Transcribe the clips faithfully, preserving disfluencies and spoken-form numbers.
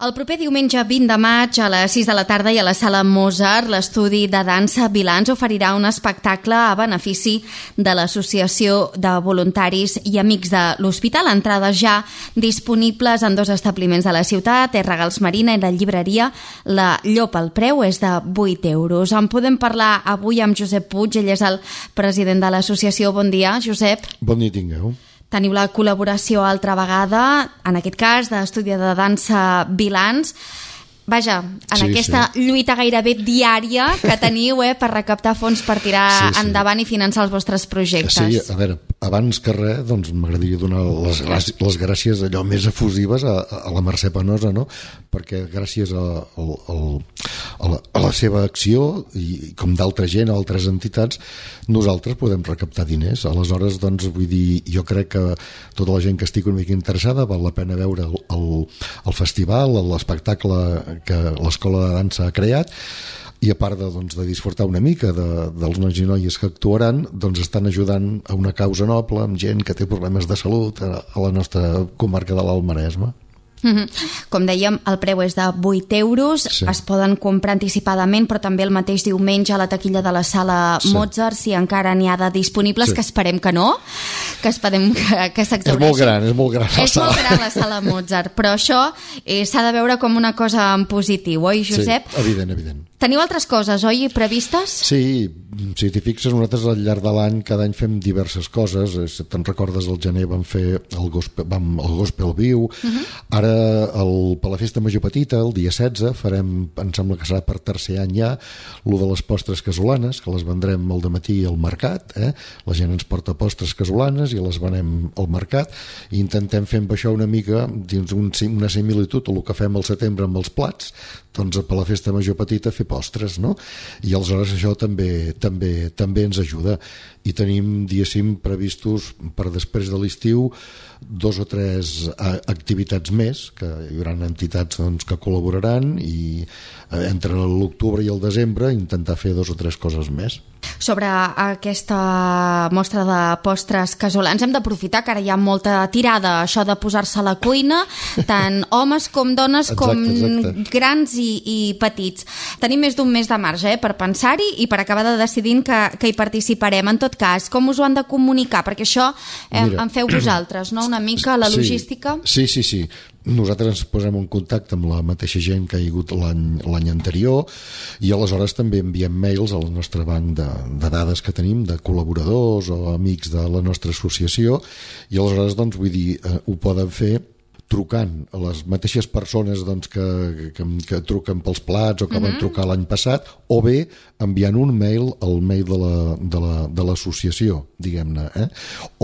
El proper diumenge vint de maig a les sis de la tarda i a la Sala Mozart, l'estudi de dansa Vilans oferirà un espectacle a benefici de l'Associació de Voluntaris i Amics de l'Hospital. Entrades ja disponibles en dos establiments de la ciutat, R. Gals Marina i la llibreria La Llop. El preu és de vuit euros. En podem parlar avui amb Josep Puig, ell és el president de l'associació. Bon dia, Josep. Bon dia tingueu. Teniu la col·laboració altra vegada, en aquest cas, d'estudi de dansa Vilans. Vaja, en sí, aquesta sí. lluita gairebé diària que teniu eh, per recaptar fons per tirar sí, sí. endavant i finançar els vostres projectes. Sí, a veure, abans que res, doncs m'agradaria donar les gràcies, les gràcies allò més efusives a, a la Mercè Penosa, no? Perquè gràcies a, a, a, la, a la seva acció i com d'altra gent, altres entitats, nosaltres podem recaptar diners. Aleshores, doncs, vull dir, jo crec que tota la gent que estigui una mica interessada val la pena veure el, el, el festival, l'espectacle que l'Escola de Dansa ha creat, i a part de, doncs, de disfrutar una mica de, dels nois i noies que actuaran, doncs estan ajudant a una causa noble amb gent que té problemes de salut a, a la nostra comarca de l'Alt Maresme. Com dèiem, el preu és de vuit euros, sí. Es poden comprar anticipadament, però també el mateix diumenge a la taquilla de la Sala sí. Mozart, si encara n'hi ha de disponibles, sí. Que esperem que no, que esperem que, que s'exhaureixi. És molt gran, és molt gran la és sala. molt gran la Sala Mozart, però això eh, s'ha de veure com una cosa en positiu, oi, Josep? Sí, evident, evident. Teniu altres coses, oi, previstes? Sí, si t'hi fixes, nosaltres al llarg de l'any cada any fem diverses coses. Si te'n recordes, al gener vam fer el gospel, vam, el gospel viu, uh-huh. Ara el, per la festa major petita, el dia setze, farem, em sembla que serà per tercer any ja, lo de les postres casolanes, que les vendrem al dematí al mercat, eh? La gent ens porta postres casolanes i les venem al mercat, i intentem fer amb això una mica dins un, una similitud a el que fem al setembre amb els plats, doncs per la festa major petita fer postres, no? I aleshores això també també també ens ajuda, i tenim, diguéssim, previstos per després de l'estiu dos o tres activitats més, que hi haurà entitats, doncs, que col·laboraran, i entre l'octubre i el desembre intentar fer dos o tres coses més. Sobre aquesta mostra de postres casolans hem d'aprofitar que ara hi ha molta tirada, això de posar-se a la cuina, tant homes com dones, com exacte, exacte. grans i, i petits. Tenim més d'un mes de marge eh, per pensar-hi i per acabar de decidir que, que hi participarem. En tot cas, com us ho han de comunicar? Perquè això eh, Mira, en feu vosaltres, no? Una mica la logística. Sí, sí, sí. Nosaltres ens posem en contacte amb la mateixa gent que hi ha hagut l'any anterior, i aleshores també enviem mails al nostre banc de, de dades que tenim de col·laboradors o amics de la nostra associació, i aleshores, doncs, vull dir, eh, ho poden fer trucant a les mateixes persones, doncs, que, que, que truquen pels plats o que van trucar l'any passat, o bé enviant un mail al mail de la, de la, de l'associació, diguem-ne, eh?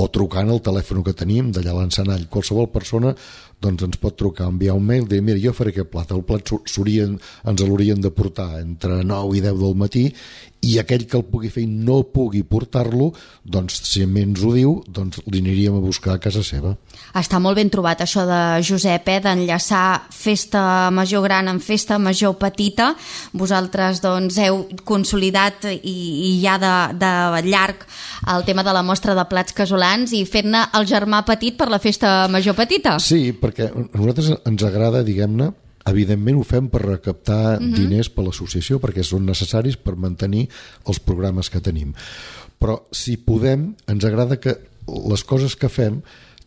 O trucant al telèfon que tenim d'allà a l'Encenall. Qualsevol persona, doncs, ens pot trucar, enviar un mail, dir, mira, jo faré aquest plat, el plat ens l'haurien de portar entre nou i deu del matí, i aquell que el pugui fer i no pugui portar-lo, doncs, si ens ho diu, doncs li aniríem a buscar a casa seva. Està molt ben trobat això de Josep, eh, d'enllaçar festa major gran amb festa major petita. Vosaltres, doncs, heu consolidat i, i ja de, de llarg el tema de la mostra de plats casolans i fent-ne el germà petit per la festa major petita. Sí, perquè a nosaltres ens agrada, diguem-ne, evidentment ho fem per recaptar uh-huh. diners per l'associació, perquè són necessaris per mantenir els programes que tenim. Però si podem, ens agrada que les coses que fem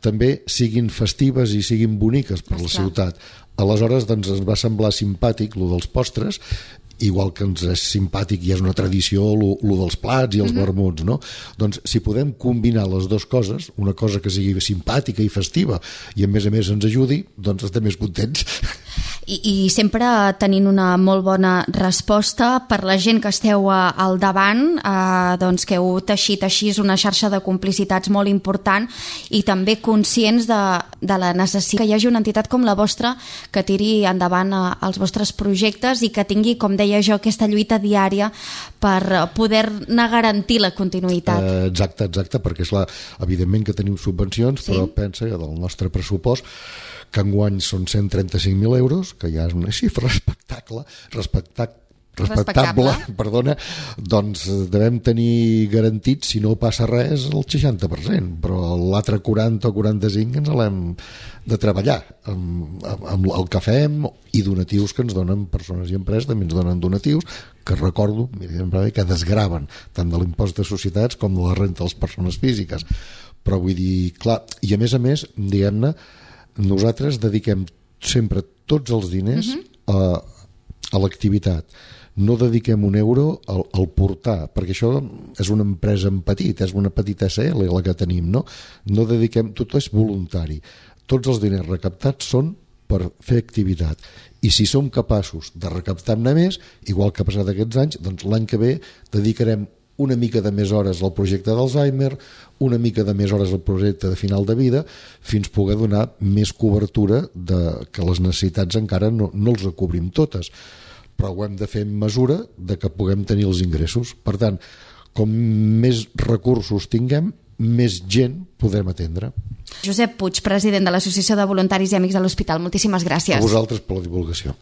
també siguin festives i siguin boniques per la ciutat. Aleshores, doncs, ens va semblar simpàtic lo dels postres, igual que ens és simpàtic i és una tradició lo, lo dels plats i els uh-huh. vermuts, no? Doncs si podem combinar les dues coses, una cosa que sigui simpàtica i festiva i a més a més ens ajudi, doncs estem més contents. I, i sempre tenint una molt bona resposta per la gent que esteu al davant, eh, doncs que heu teixit així una xarxa de complicitats molt important i també conscients de, de la necessitat que hi hagi una entitat com la vostra que tiri endavant eh, els vostres projectes i que tingui, com deia jo, aquesta lluita diària per poder-ne garantir la continuïtat. Eh, exacte, exacte, perquè és la, evidentment que tenim subvencions, sí? Però pensa que del nostre pressupost que enguany són cent trenta-cinc mil euros, que ja és una xifra respectable, respectable respectable, perdona, doncs devem tenir garantit, si no passa res, el seixanta per cent, però l'altre quaranta o quaranta-cinc ens l'hem de treballar amb, amb el que fem i donatius que ens donen persones i empreses, també ens donen donatius que recordo que desgraven tant de l'impost de societats com de la renta de les persones físiques, però vull dir, clar, i a més a més, diguem-ne, nosaltres dediquem sempre tots els diners uh-huh. a, a l'activitat. No dediquem un euro al, al portar, perquè això és una empresa en petit, és una petita S L la que tenim, no? No dediquem, tot és voluntari. Tots els diners recaptats són per fer activitat. I si som capaços de recaptar-ne més, igual que ha passat aquests anys, doncs l'any que ve dedicarem una mica de més hores al projecte d'Alzheimer, una mica de més hores al projecte de final de vida, fins poder donar més cobertura de que les necessitats encara no, no els recobrim totes. Però ho hem de fer en mesura de que puguem tenir els ingressos. Per tant, com més recursos tinguem, més gent podrem atendre. Josep Puig, president de l'Associació de Voluntaris i Amics de l'Hospital, moltíssimes gràcies. A vosaltres per la divulgació.